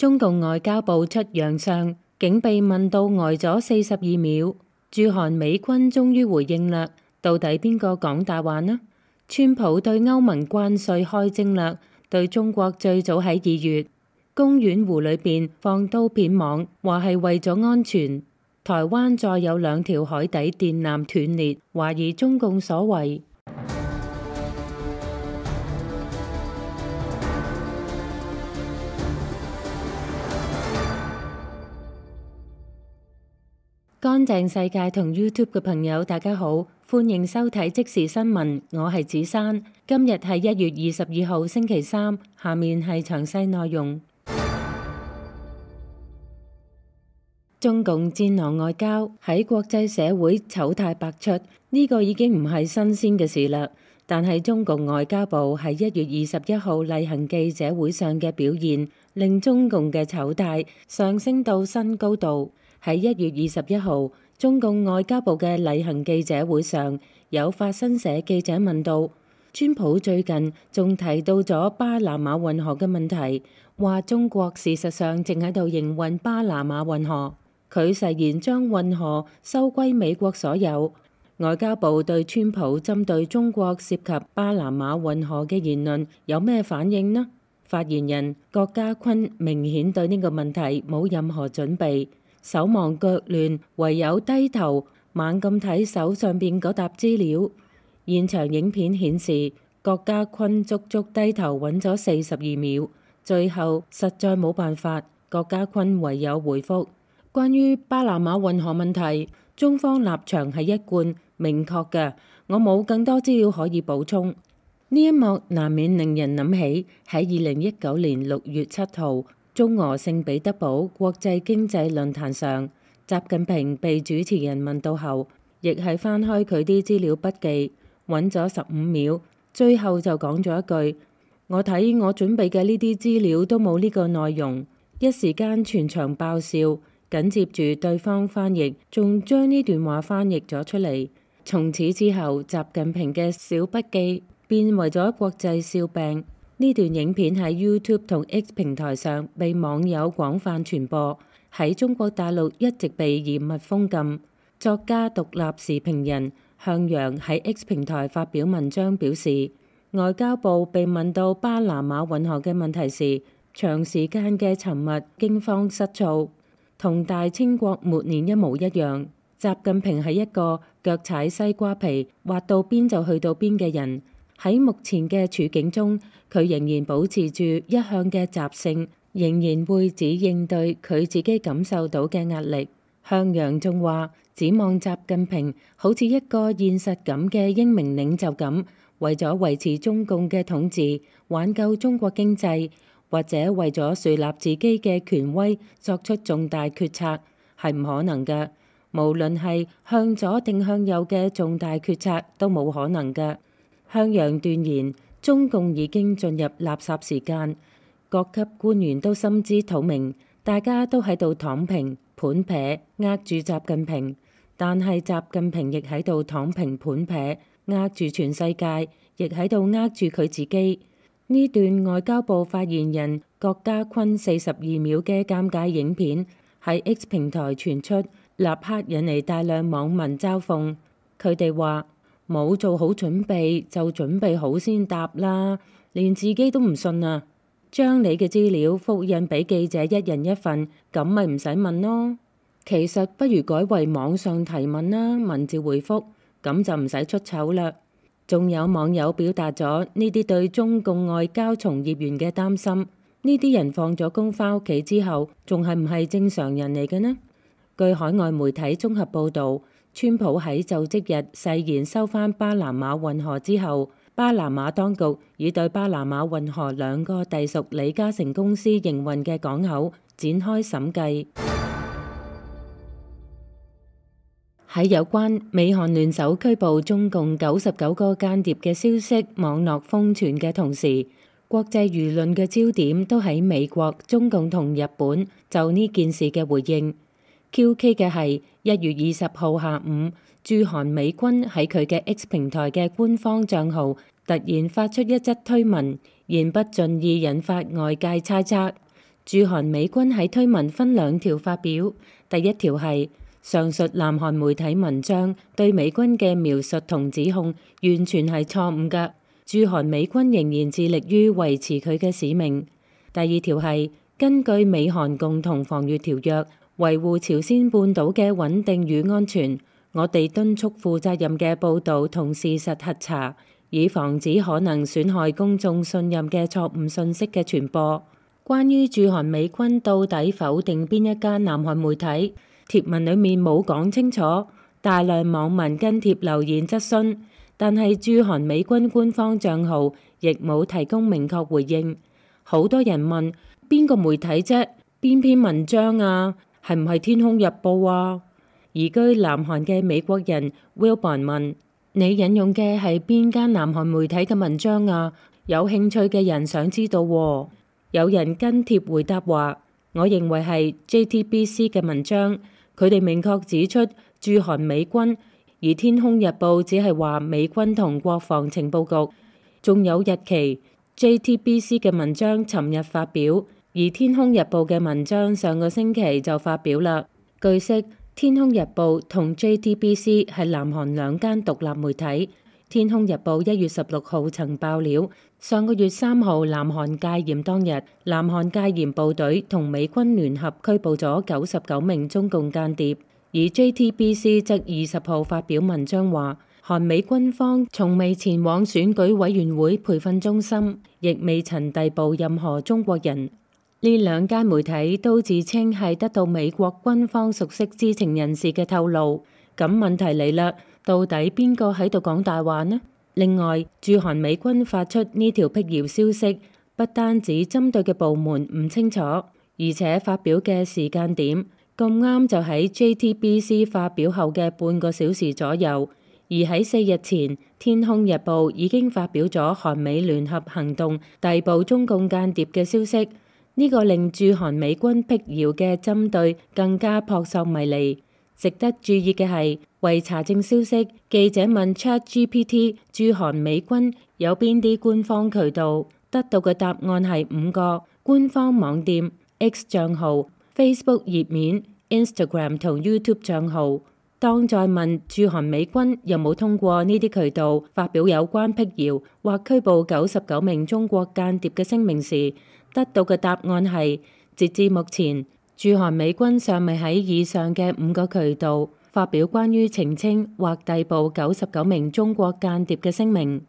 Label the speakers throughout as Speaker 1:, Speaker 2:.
Speaker 1: 中共外交部出洋相，竟被問到呆咗42秒。駐韓美軍終於回應啦，到底邊個講大話呢？川普對歐盟關稅開徵啦，對中國最早喺2月公園湖裏邊放刀片網，話係為咗安全。台灣再有2條海底電纜斷裂，懷疑中共所為。乾淨世界同 YouTube 嘅朋友，大家好，歡迎收睇即時新聞，我係子珊。今日係1月22號星期三，下面係詳細內容。中共戰狼外交喺國際社會醜態百出，呢個已經唔係新鮮嘅事啦。但係中共外交部喺1月21號例行記者會上嘅表現，令中共嘅醜態上升到新高度。喺1月21號，中共外交部嘅例行記者會上，有法新社記者問到，川普最近仲提到咗巴拿馬運河嘅問題，話中國事實上正喺度營運巴拿馬運河，佢誓言將運河收歸美國所有。外交部對川普針對中國涉及巴拿馬運河嘅言論有咩反應呢？發言人郭家坤明顯對呢個問題冇任何準備。手忙腳亂，唯有低頭猛咁睇手上邊嗰沓資料。現場影片顯示，郭家坤足足低頭揾咗42秒，最後實在冇辦法，郭家坤唯有回覆：關於巴拿馬運河問題，中方立場係一貫明確嘅，我冇更多資料可以補充。呢一幕難免令人諗起喺2019年6月7號，中俄聖彼得堡國際經濟論壇上，習近平被主持人問到後，亦係翻開佢啲資料筆記，揾咗15秒，最後就講咗一句：我睇我準備嘅呢啲資料都冇呢個內容。一時間全場爆笑，緊接住對方翻譯仲將呢段話翻譯咗出嚟。從此之後，習近平嘅小筆記變為咗國際笑柄。呢段影片喺 YouTube 同 X 平台上被網友廣泛傳播，喺中國大陸一直被嚴密封禁。作家獨立時評人向陽喺 X 平台發表文章表示，外交部被問到巴拿馬運河嘅問題時，長時間嘅沉默、驚慌失措，同大清國末年一模一樣。習近平係一個腳踩西瓜皮，滑到邊就去到邊嘅人。喺目前嘅處境中，佢仍然保持住一向嘅習性，仍然會只應對佢自己感受到嘅壓力。向陽仲話，指望習近平好似一個現實感嘅英明領袖咁，為咗維持中共嘅統治、挽救中國經濟，或者為咗樹立自己嘅權威作出重大決策，係唔可能嘅。無論係向左定向右嘅重大決策都冇可能嘅。向陽斷言，中共已經進入垃圾時間，各級官員都心知肚明，大家都喺度躺平盤撇呃住習近平，但係習近平亦喺度躺平盤撇呃住全世界，亦喺度呃住佢自己。呢段外交部發言人郭家坤42秒嘅尷尬影片喺 X 平台傳出，立刻引嚟大量網民嘲諷。佢哋話，冇做好準備就準備好先答啦，連自己都唔信啊！將你嘅資料複印俾記者一人一份，咁咪唔使問咯。其實不如改為網上提問啦，文字回覆，咁就唔使出醜啦。仲有網友表達咗呢啲對中共外交從業員嘅擔心，呢啲人放咗工返屋企之後，仲係唔係正常人嚟嘅呢？據海外媒體綜合報導，川普喺就職日誓言收返巴拿馬運河之後，巴拿馬當局已對巴拿馬運河2個隸屬李嘉誠公司營運嘅港口展開審計。喺有關美韓聯手拘捕中共99個間諜嘅消息網絡瘋傳嘅同時，國際輿論嘅焦點都喺美國、中共同日本就呢件事嘅回應。QK 嘅係1月20號下午，駐韓美軍喺佢嘅 X 平台嘅官方帳號突然發出一則推文，言不盡意引發外界猜測。駐韓美軍喺推文分2條發表，第一條係上述南韓媒體文章對美軍嘅描述同指控完全係錯誤㗎，駐韓美軍仍然致力於維持佢嘅使命。第二條係根據美韓共同防禦條約，維護朝鮮半島嘅穩定與安全，我哋敦促負責任嘅報導同事實核查，以防止可能損害公眾信任嘅錯誤信息嘅傳播。關於駐韓美軍到底否定邊一間南韓媒體，貼文裡面冇講清楚，大量網民跟貼留言質詢，但係駐韓美軍官方帳號亦冇提供明確回應。好多人問邊個媒體啫？邊篇文章啊？係唔係天空日報啊？移居南韓嘅美國人 Wilbon 問：你引用嘅係邊間南韓媒體嘅文章啊？有興趣嘅人想知道喎。有人跟貼回答話：我認為係 JTBC 嘅文章，佢哋明確指出駐韓美軍，而天空日報只係話美軍同國防情報局，仲有日期。JTBC 嘅文章尋日發表，而天空日報嘅文章上個星期就發表啦。據悉，天空日報同 JTBC 係南韓2間獨立媒體。天空日報1月16號曾爆料，上個月3號南韓戒嚴當日，南韓戒嚴部隊同美軍聯合拘捕咗99名中共間諜，而 JTBC 則20號發表文章話，韓美軍方從未前往選舉委員會培訓中心，亦未曾逮捕任何中國人。呢2間媒體都自稱係得到美國軍方熟悉知情人士嘅透露。咁問題嚟啦，到底邊個喺度講大話呢？另外，駐韓美軍發出呢條闢謠消息，不單止針對嘅部門唔清楚，而且發表嘅時間點咁啱就喺 JTBC 發表後嘅半個小時左右，而喺4日前，天空日報已經發表咗韓美聯合行動逮捕中共間諜嘅消息。呢個令駐韓美軍闢謠嘅針對更加撲朔迷離。值得注意嘅係，為查證消息，記者問 ChatGPT 駐韓美軍有邊啲官方渠道，得到嘅答案係5個：官方網店、X 帳號、Facebook 頁面、Instagram 同 YouTube 帳號。當再問駐韓美軍有冇通過呢啲渠道發表有關闢謠或拘捕99名中國間諜嘅聲明時，得到嘅答案係，截至目前，駐韓美軍尚未喺以上嘅5個渠道發表關於澄清或逮捕99名中國間諜嘅聲明。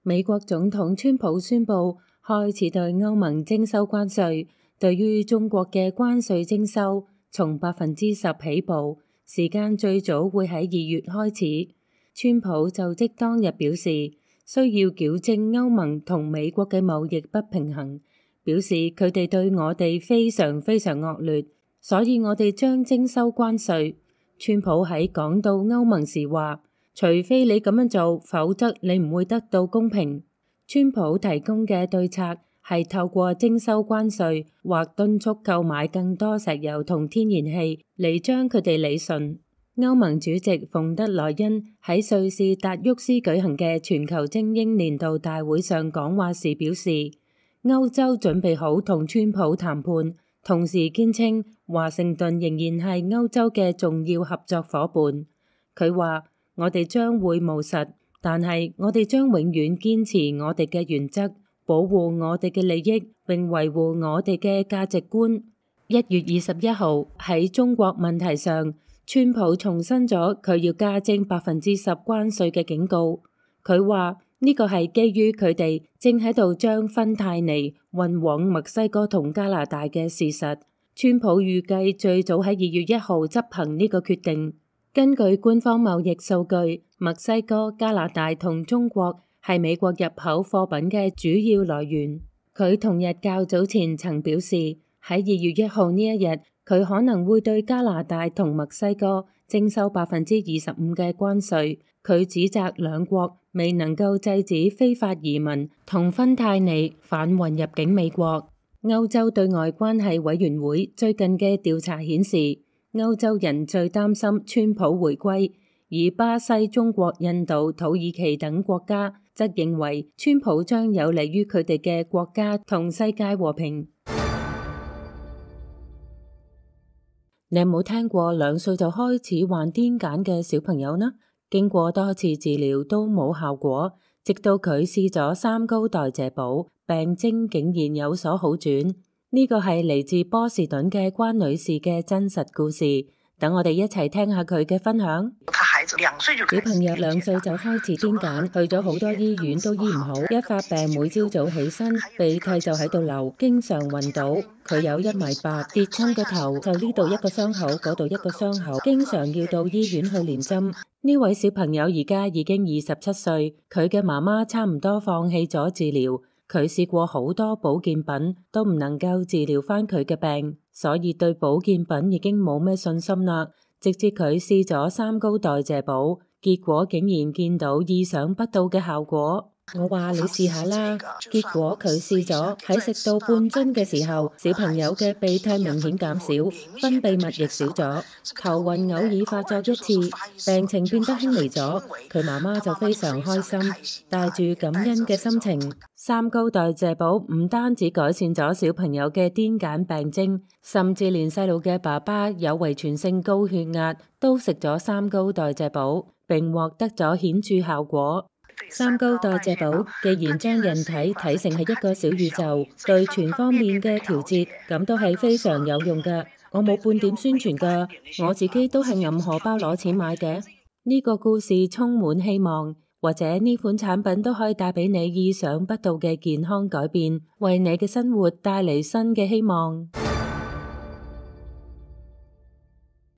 Speaker 1: 美國總統川普宣布開始對歐盟徵收關稅，對於中國嘅關稅徵收從10%起步，時間最早會喺2月開始。川普就職當日表示，需要矯正歐盟同美國嘅貿易不平衡，表示佢哋對我哋非常非常惡劣，所以我哋將徵收關稅。川普喺講到歐盟時話，除非你咁樣做，否則你唔會得到公平。川普提供嘅對策係透過徵收關稅或敦促購買更多石油同天然氣嚟將佢哋理順。歐盟主席馮德萊恩喺瑞士達沃斯舉行嘅全球精英年度大會上講話時表示，歐洲準備好同川普談判，同時堅稱華盛頓仍然係歐洲嘅重要合作夥伴。佢話，我哋將會務實，但係我哋將永遠堅持我哋嘅原則，保護我哋嘅利益，並維護我哋嘅價值觀。1月21號喺中國問題上，川普重申咗佢要加徵10%關稅嘅警告。佢話呢個係基於佢哋正喺度將芬太尼運往墨西哥同加拿大嘅事實。川普預計最早喺2月1號執行呢個決定。根據官方貿易數據，墨西哥、加拿大同中國係美國入口貨品嘅主要來源。佢同日較早前曾表示，喺2月1號呢一日，佢可能會對加拿大同墨西哥徵收25%嘅關稅。佢指責兩國未能夠制止非法移民同芬太尼販運入境美國。歐洲對外關係委員會最近嘅調查顯示，歐洲人最擔心川普回歸，而巴西、中國、印度、土耳其等國家則認為川普將有利於佢哋嘅國家同世界和平。你有冇聽過2歲就開始患癲癇嘅小朋友呢？經過多次治療都冇效果，直到佢試咗3高代謝補，病徵竟然有所好轉。呢個係嚟自波士頓嘅關女士嘅真實故事。等我哋一齊聽下佢嘅分享。小朋友2歲就開始癲癇，去咗好多醫院都醫唔好，一發病每朝早起身鼻涕就喺度流，經常暈倒。佢有1.8米，跌親個頭就呢度一個傷口，嗰度一個傷口，經常要到醫院去連針。呢位小朋友而家已經27歲，佢嘅媽媽差唔多放棄咗治療。佢試過好多保健品，都唔能夠治療返佢嘅病，所以對保健品已經冇咩信心啦。直至佢試咗3高代謝補，結果竟然見到意想不到嘅效果。我話你試下啦，結果佢試咗，喺食到半樽嘅時候，小朋友嘅鼻涕明顯減少，分泌物亦少咗，頭暈偶爾發作1次，病情變得輕微咗。佢媽媽就非常開心，帶住感恩嘅心情。3高代謝補唔單止改善咗小朋友嘅癲癇病徵，甚至連細路嘅爸爸有遺傳性高血壓都食咗3高代謝補，並獲得咗顯著效果。3高代謝補既然將人體睇成係一個小宇宙，對全方面嘅調節，咁都係非常有用㗎。我冇半點宣傳㗎，我自己都係揞荷包攞錢買嘅。呢個故事充滿希望，或者呢款產品都可以帶俾你意想不到嘅健康改變，為你嘅生活帶嚟新嘅希望。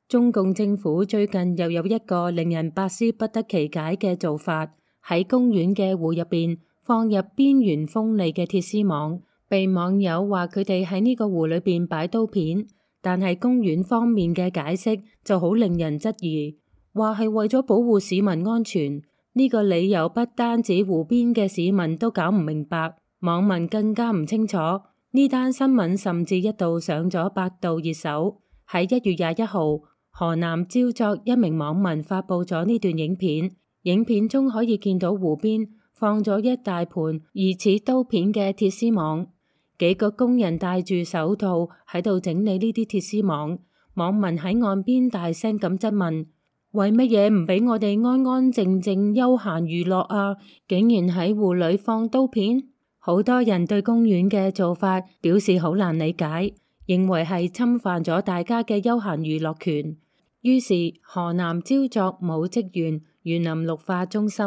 Speaker 1: 中共政府最近又有一個令人百思不得其解嘅做法。喺公園嘅湖入邊放入邊緣鋒利嘅鐵絲網，被網友話佢哋喺呢個湖裏邊擺刀片，但係公園方面嘅解釋就好令人質疑，話係為咗保護市民安全。呢個理由不單止湖邊嘅市民都搞唔明白，網民更加唔清楚。呢單新聞甚至一度上咗百度熱搜。喺1月21號，河南焦作一名網民發佈咗呢段影片。影片中可以見到湖邊放咗一大盤疑似刀片嘅鐵絲網，幾個工人戴住手套喺度整理呢啲鐵絲網。網民喺岸邊大聲咁質問：為乜嘢唔俾我哋安安靜靜休閒娛樂啊？竟然喺湖裏放刀片？好多人對公園嘅做法表示好難理解，認為係侵犯咗大家嘅休閒娛樂權。於是河南焦作武職員園林綠化中心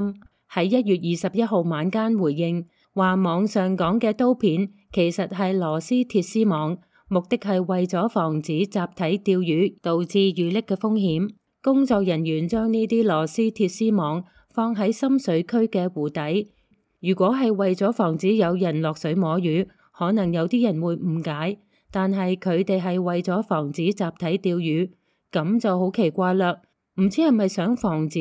Speaker 1: 喺1月21號晚間回應，話網上講嘅刀片其實係螺絲鐵絲網，目的係為咗防止集體釣魚導致遇溺嘅風險。工作人員將呢啲螺絲鐵絲網放喺深水區嘅湖底，如果係為咗防止有人落水摸魚，可能有啲人會誤解，但係佢哋係為咗防止集體釣魚，咁就好奇怪啦。唔知係咪想防止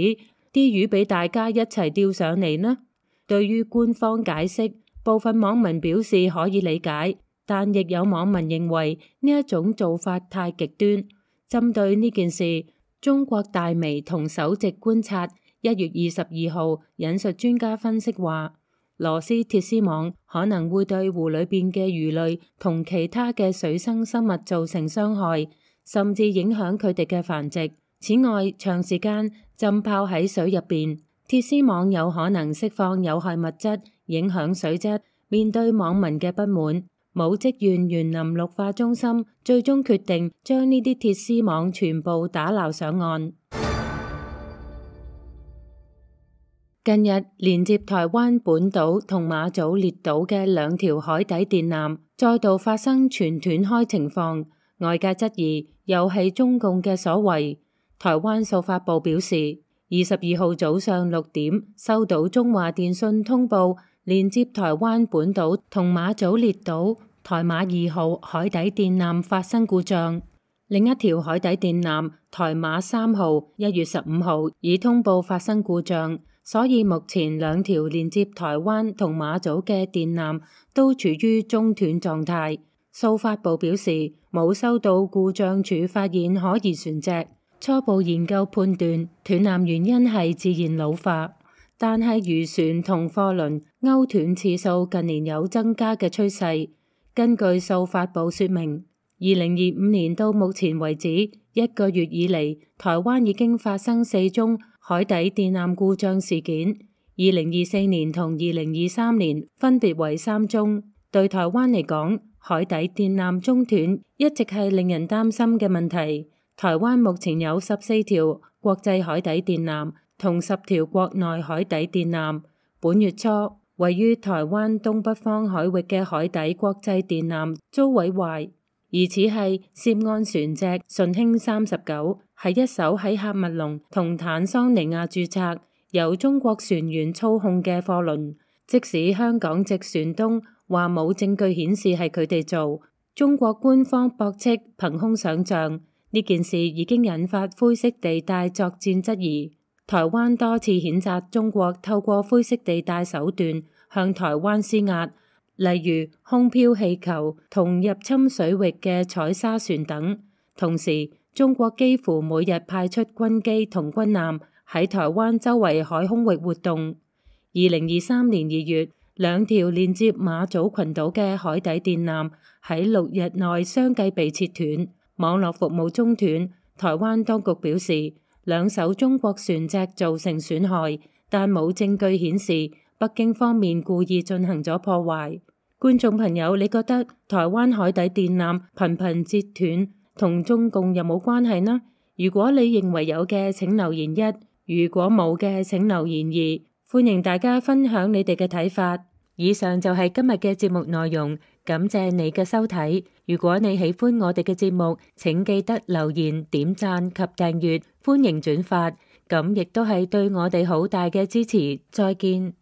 Speaker 1: 啲魚俾大家一齊釣上嚟呢？對於官方解釋，部分網民表示可以理解，但亦有網民認為呢一種做法太極端。針對呢件事，中國大微同首席觀察1月22號引述專家分析話，螺絲鐵絲網可能會對湖裏邊嘅魚類同其他嘅水生生物造成傷害，甚至影響佢哋嘅繁殖。此外，長時間浸泡喺水入邊，鐵絲網有可能釋放有害物質，影響水質。面對網民嘅不滿，武職縣園林綠化中心最終決定將呢啲鐵絲網全部打撈上岸。近日，連接台灣本島同馬祖列島嘅2條海底電纜再度發生全斷開情況，外界質疑又係中共嘅所為。台灣數發部表示，22號早上6點收到中華電信通報，連接台灣本島同馬祖列島台馬2號海底電纜發生故障。另一條海底電纜台馬3號1月15號已通報發生故障，所以目前2條連接台灣同馬祖嘅電纜都處於中斷狀態。數發部表示，冇收到故障處發現可疑船隻。初步研究判斷，斷纜原因係自然老化。但係漁船同貨輪勾斷次數近年有增加嘅趨勢。根據數發布說明，2025年到目前為止1個月以嚟，台灣已經發生4宗海底電纜故障事件，2024年同2023年分別為3宗。對台灣嚟講，海底電纜中斷一直係令人擔心嘅問題。台灣目前有14條國際海底電纜同10條國內海底電纜。本月初，位於台灣東北方海域嘅海底國際電纜遭毀壞，疑似係涉案船隻順興39，係一艘喺喀麥隆同坦桑尼亞註冊、由中國船員操控嘅貨輪。即使香港籍船東話冇證據顯示係佢哋做，中國官方駁斥憑空想像。呢件事已經引發灰色地帶作戰質疑。台灣多次譴責中國透過灰色地帶手段向台灣施壓，例如空飄氣球同入侵水域嘅採砂船等。同時，中國幾乎每日派出軍機同軍艦喺台灣周圍海空域活動。2023年2月，2條連接馬祖群島嘅海底電纜喺6日內相繼被切斷，網絡服務中斷。台灣當局表示，2艘中國船隻造成損害，但冇證據顯示北京方面故意進行咗破壞。觀眾朋友，你覺得台灣海底電纜頻頻截斷同中共有冇關係呢？如果你認為有嘅，請留言1；如果冇嘅，請留言2。歡迎大家分享你哋嘅睇法。以上就係今日嘅節目內容，感謝你嘅收睇。如果你喜歡我哋嘅節目，請記得留言、點讚及訂閱，歡迎轉發，咁亦都係對我哋好大嘅支持。再見。